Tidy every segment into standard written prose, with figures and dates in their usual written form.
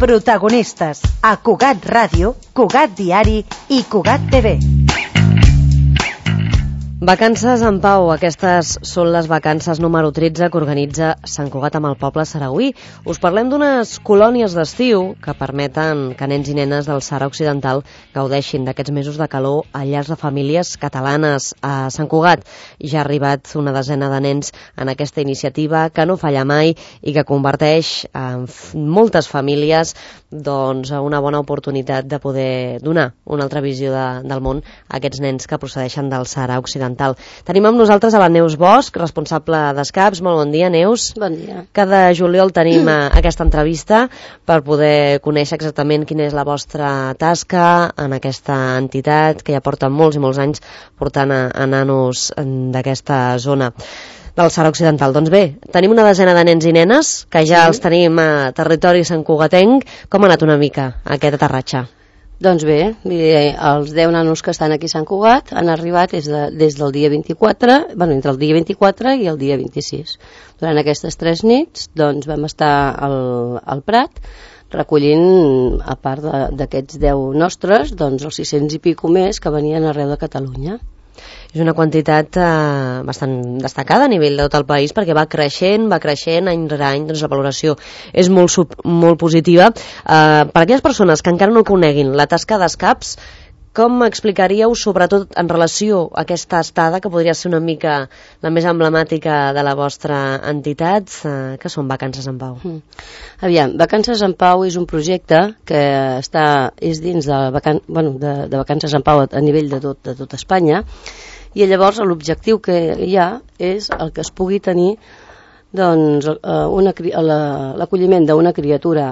Protagonistes a Cugat Ràdio, Cugat Diari i Cugat TV. Vacances en pau. Aquestes són les vacances número 13 que organitza Sant Cugat amb el poble saragüí. Us parlem d'unes colònies d'estiu que permeten que nens i nenes del Sàhara Occidental gaudeixin d'aquests mesos de calor a llars de famílies catalanes. A Sant Cugat ja ha arribat una desena de nens en aquesta iniciativa que no falla mai i que converteix en moltes famílies una bona oportunitat de poder donar una altra visió del món a aquests nens que procedeixen del Sàhara Occidental. Tenim amb nosaltres a la Neus Bosch, responsable d'Escaps. Molt bon dia, Neus. Bon dia. Cada juliol tenim aquesta entrevista per poder conèixer exactament quina és la vostra tasca en aquesta entitat que ja porta molts i molts anys portant a nanos d'aquesta zona del Sàhara Occidental. Doncs bé, tenim una desena de nens i nenes que ja els tenim a territori santcugatenc. Com ha anat una mica aquest aterratge? Doncs bé, els 10 nanos que estan aquí a Sant Cugat han arribat des del dia 24, entre el dia 24 i el dia 26. Durant aquestes 3 nits vam estar al Prat recollint, a part d'aquests 10 nostres, els 600 i pico més que venien arreu de Catalunya. És una quantitat bastant destacada a nivell de tot el país perquè va creixent any rere any, la valoració és molt positiva. Per aquelles persones que encara no coneguin la tasca d'Escaps, com explicaríeu, sobretot en relació a aquesta estada, que podria ser una mica la més emblemàtica de la vostra entitat, que són Vacances en Pau? Aviam, Vacances en Pau és un projecte que és dins de Vacances en Pau a nivell de tot Espanya, i llavors l'objectiu que hi ha és el que es pugui tenir l'acolliment d'una criatura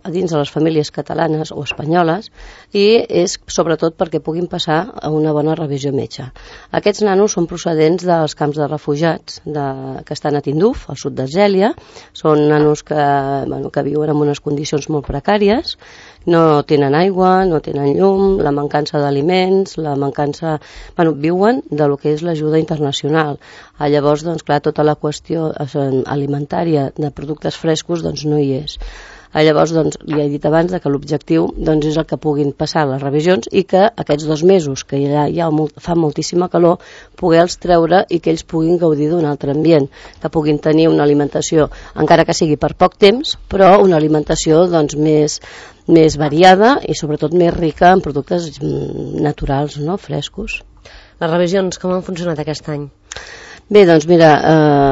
dins de les famílies catalanes o espanyoles, i és sobretot perquè puguin passar a una bona revisió metge. Aquests nanos són procedents dels camps de refugiats que estan a Tinduf, al sud d'Argèlia. Són nanos que viuen en unes condicions molt precàries, no tenen aigua, no tenen llum, la mancança d'aliments, viuen de lo que és l'ajuda internacional. Llavors, clar, tota la qüestió alimentària de productes frescos no hi és. Llavors, li he dit abans que l'objectiu és el que puguin passar les revisions i que aquests 2 mesos, que ja fa moltíssima calor, poder-los treure i que ells puguin gaudir d'un altre ambient, que puguin tenir una alimentació, encara que sigui per poc temps, però una alimentació més variada i sobretot més rica en productes naturals, frescos. Les revisions com han funcionat aquest any? Bé, doncs mira,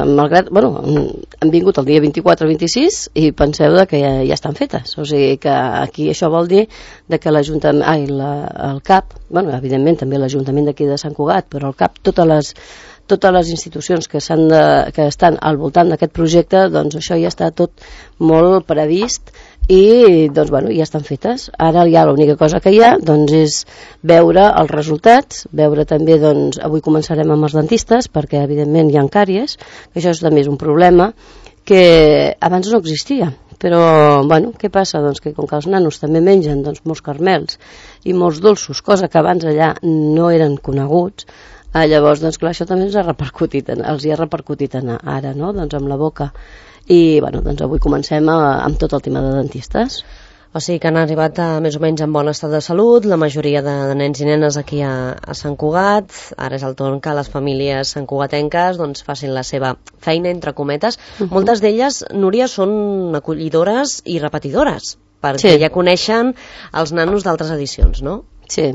han vingut el dia 24-26 i penseu que ja estan fetes. O sigui que aquí això vol dir que l'Ajuntament, el CAP, evidentment també l'Ajuntament d'aquí de Sant Cugat, però el CAP, totes les institucions que estan al voltant d'aquest projecte, això ja està tot molt previst i ja estan fetes. Ara ja l'única cosa que hi ha és veure els resultats, veure també, avui començarem amb els dentistes perquè evidentment hi ha càries, que això també és un problema que abans no existia. Però, què passa? Que com que els nanos també mengen molts caramels i molts dolços, cosa que abans allà no eren coneguts, llavors, clar, això també els hi ha repercutit ara, amb la boca. I avui comencem amb tot el tema de dentistes. O sigui que han arribat més o menys en bon estat de salut la majoria de nens i nenes aquí a Sant Cugat. Ara és el torn que les famílies santcugatenques facin la seva feina, entre cometes. Moltes d'elles, Núria, són acollidores i repetidores, perquè ja coneixen els nanos d'altres edicions, no? Sí.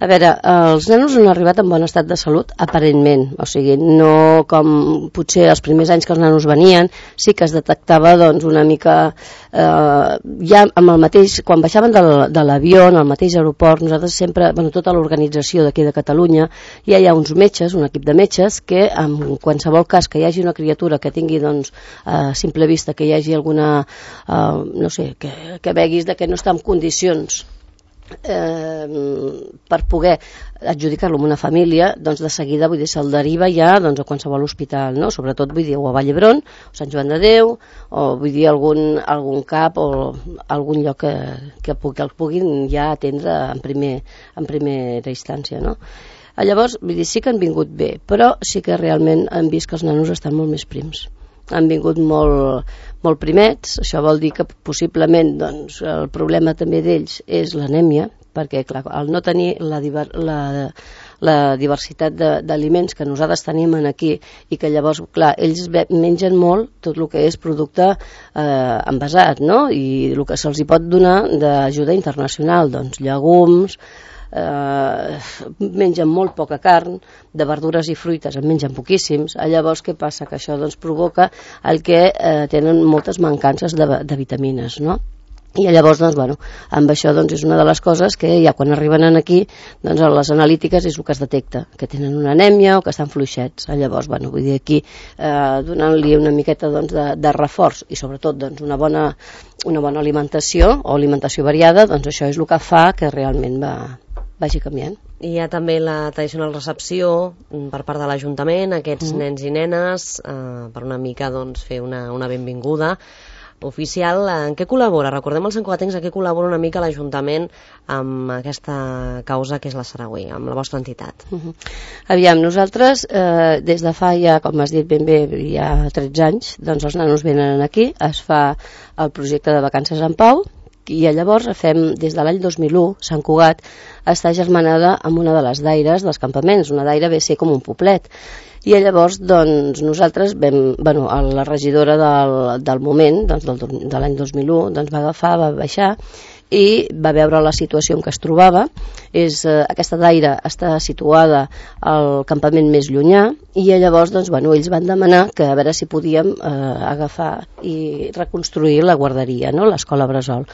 A veure, els nanos han arribat en bon estat de salut, aparentment. O sigui, no com potser els primers anys que els nanos venien, sí que es detectava una mica ja amb el mateix, quan baixaven de l'avió, en el mateix aeroport, nosaltres sempre, tota l'organització d'aquí de Catalunya, ja hi ha uns metges, un equip de metges, que en qualsevol cas que hi hagi una criatura que tingui a simple vista que hi hagi alguna, que veguis que no està en condicions per poder adjudicar-lo a una família, de seguida se'l deriva ja a qualsevol hospital, sobretot o a Vall d'Hebron, o Sant Joan de Déu, o algun CAP o algun lloc que el puguin ja atendre en primera instància, Llavors, sí que han vingut bé, però sí que realment han vist que els nanos estan molt més prims. han vingut molt primets. Això vol dir que possiblement doncs, el problema també d'ells és l'anèmia, perquè clar, al no tenir la diversitat d'aliments que nosaltres tenim aquí i que llavors, clar, ells mengen molt tot el que és producte envasat, no? I el que se'ls hi pot donar d'ajuda internacional, doncs llegums, mengen molt poca carn, de verdures i fruites en mengen poquíssims. Llavors què passa? Que això doncs, provoca el que tenen moltes mancances de vitamines, no? I llavors, doncs, bueno, amb això doncs, és una de les coses que ja quan arriben aquí, doncs, a les analítiques és el que es detecta, que tenen una anèmia o que estan fluixets. Llavors, bueno, vull dir aquí, donant-li una miqueta doncs, de reforç i sobretot doncs, una bona alimentació o alimentació variada, doncs això és el que fa que realment vagi canviant. Hi ha també la tradicional recepció per part de l'Ajuntament, aquests nens i nenes, per una mica doncs, fer una benvinguda oficial. En què col·labora? Recordem els santcugatencs, en què col·labora una mica l'Ajuntament amb aquesta causa que és la Saragüí, amb la vostra entitat? Aviam, nosaltres des de fa ja, com has dit ben bé, ja 13 anys, doncs els nanos venen aquí, es fa el projecte de vacances en Pau, i llavors fem, des de l'any 2001, Sant Cugat està germanada amb una de les daires dels campaments. Una daira ve a ser com un poblet. I llavors doncs, nosaltres la regidora del moment, doncs, de l'any 2001, doncs, va agafar, va baixar i va veure la situació en què es trobava. Aquesta daira està situada al campament més llunyà i llavors doncs, ells van demanar que a veure si podíem agafar i reconstruir la guarderia, no? L'escola Bressol.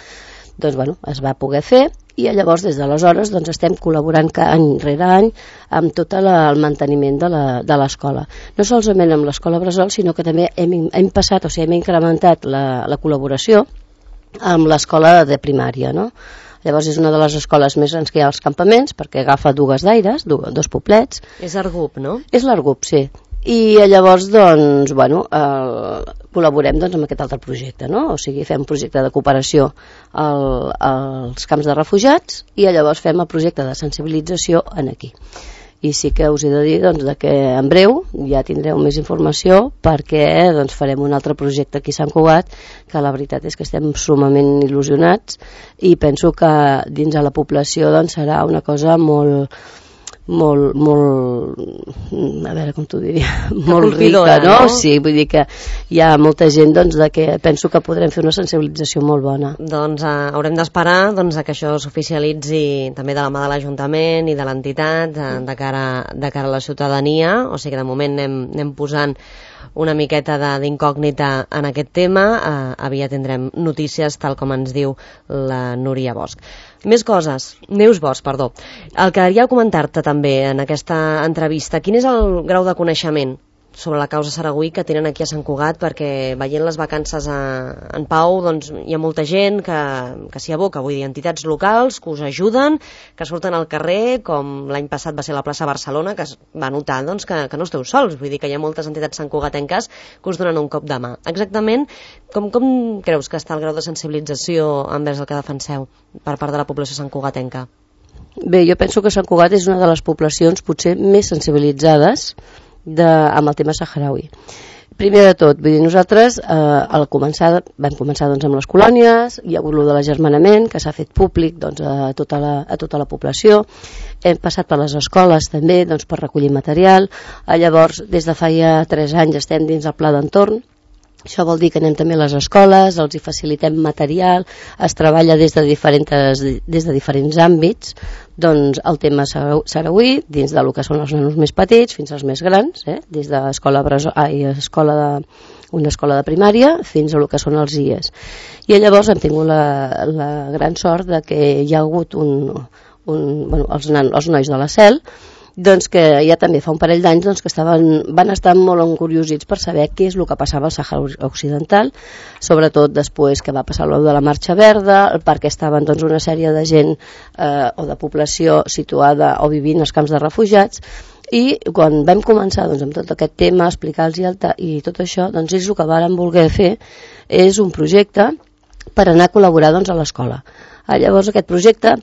Doncs es va poder fer i llavors des d'aleshores doncs, estem col·laborant any rere any amb tot el manteniment de l'escola. No solament amb l'escola Bressol, sinó que també hem incrementat la col·laboració amb l'escola de primària, no? Llavors és una de les escoles més grans que hi ha als campaments perquè agafa dues daires, dos poblets. És l'Argup, no? És l'Argup, sí. I llavors doncs, col·laborem doncs, amb aquest altre projecte, no? O sigui, fem un projecte de cooperació als camps de refugiats i llavors fem el projecte de sensibilització aquí. I sí que us he de dir doncs, que en breu ja tindreu més informació perquè doncs, farem un altre projecte aquí a Sant Cugat, que la veritat és que estem sumament il·lusionats i penso que dins de la població doncs, serà una cosa molt, a veure com t'ho diria, molt rica, no? Sí, vull dir que hi ha molta gent doncs, que penso que podrem fer una sensibilització molt bona. Doncs haurem d'esperar que això s'oficialitzi també de la mà de l'Ajuntament i de l'entitat de cara a la ciutadania, o sigui que de moment anem posant una miqueta d'incògnita en aquest tema. Aviat tindrem notícies tal com ens diu la Núria Bosch. Més coses. Neus Bosch, perdó. El que queria comentar-te també en aquesta entrevista, quin és el grau de coneixement sobre la causa Saragüí que tenen aquí a Sant Cugat, perquè veient les vacances en Pau doncs, hi ha molta gent que s'hi aboca, vull dir, entitats locals que us ajuden, que surten al carrer, com l'any passat va ser la plaça Barcelona, que es va notar doncs, que no esteu sols, vull dir que hi ha moltes entitats santcugatenques que us donen un cop de mà. Exactament, com creus que està el grau de sensibilització envers el que defenseu per part de la població santcugatenca? Bé, jo penso que Sant Cugat és una de les poblacions potser més sensibilitzades amb el tema saharaui. Primer de tot, vull dir, nosaltres vam començar doncs, amb les colònies, hi ha hagut de l'agermanament que s'ha fet públic doncs, a tota la població, hem passat per les escoles també doncs, per recollir material, llavors des de fa ja 3 anys estem dins el pla d'entorn. Això vol dir que anem també a les escoles, els hi facilitem material, es treballa des de diferents àmbits, doncs el tema saragüí, dins del que són els nanos més petits fins als més grans, des de una escola de primària fins a el que són els IES. I llavors hem tingut la gran sort de que hi ha hagut els nois de la CEL, doncs que ja també fa un parell d'anys doncs, que van estar molt encuriosits per saber què és el que passava al Sàhara Occidental, sobretot després que va passar de la Marxa Verda, perquè estaven doncs, una sèrie de gent o de població situada o vivint als camps de refugiats, i quan vam començar doncs, amb tot aquest tema, explicar-los i tot això, doncs ells el que varen voler fer és un projecte per anar a col·laborar doncs, a l'escola. Llavors aquest projecte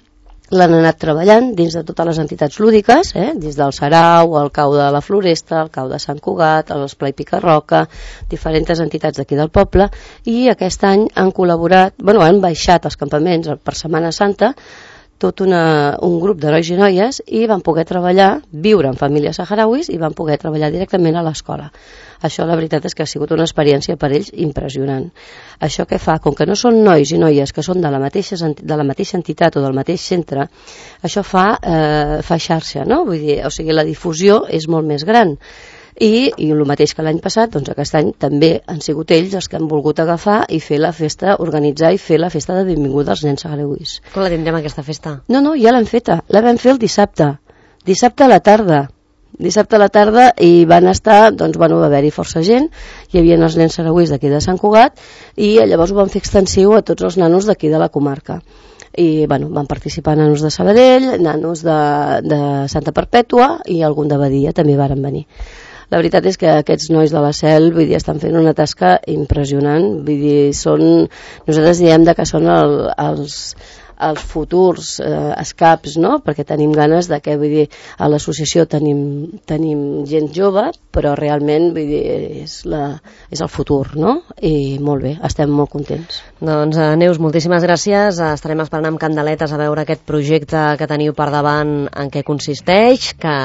l'han anat treballant dins de totes les entitats lúdiques, dins del Sarau, el Cau de la Floresta, el Cau de Sant Cugat, l'Esplai Picarroca, diferents entitats d'aquí del poble, i aquest any han col·laborat, han baixat als campaments per Setmana Santa tot un grup d'herois i noies i van poder treballar, viure en famílies saharauis i van poder treballar directament a l'escola. Això la veritat és que ha sigut una experiència per ells impressionant. Això què fa? Com que no són nois i noies que són de la mateixa entitat o del mateix centre, això fa xarxa, no? Vull dir, o sigui, la difusió és molt més gran. I el mateix que l'any passat, doncs aquest any també han sigut ells els que han volgut agafar i fer la festa, organitzar i fer la festa de benvinguda als nens saharauis. Com la tindrem aquesta festa? No, ja l'hem feta, la vam fer el dissabte a la tarda i van estar, va haver-hi força gent, hi havia els nens saharauis d'aquí de Sant Cugat i llavors ho van fer extensiu a tots els nanos d'aquí de la comarca. I van participar nanos de Sabadell, nanos de Santa Perpètua i algun de Badia també varen venir. La veritat és que aquests nois de la CEL estan fent una tasca impressionant, nosaltres diem que són els futurs escaps, no? Perquè tenim ganes de que, a l'associació tenim gent jove, però realment és el futur, no? I molt bé, estem molt contents. Doncs Neus, moltíssimes gràcies, estarem esperant amb candeletes a veure aquest projecte que teniu per davant en què consisteix, que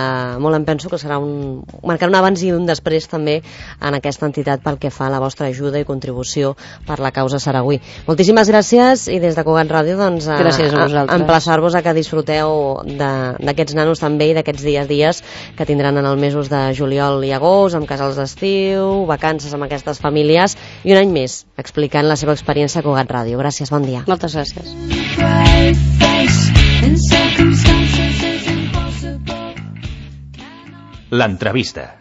molt em penso que serà marcar un abans i un després també en aquesta entitat pel que fa a la vostra ajuda i contribució per la causa saragüí. Moltíssimes gràcies i des de Cugat Ràdio gràcies a vosaltres. Emplaçar-vos a que disfruteu d'aquests nanos també i d'aquests dies que tindran en els mesos de juliol i agost, amb casals d'estiu, vacances amb aquestes famílies i un any més explicant la seva experiència a Cugat Ràdio. Gràcies, bon dia. Moltes gràcies. L'entrevista.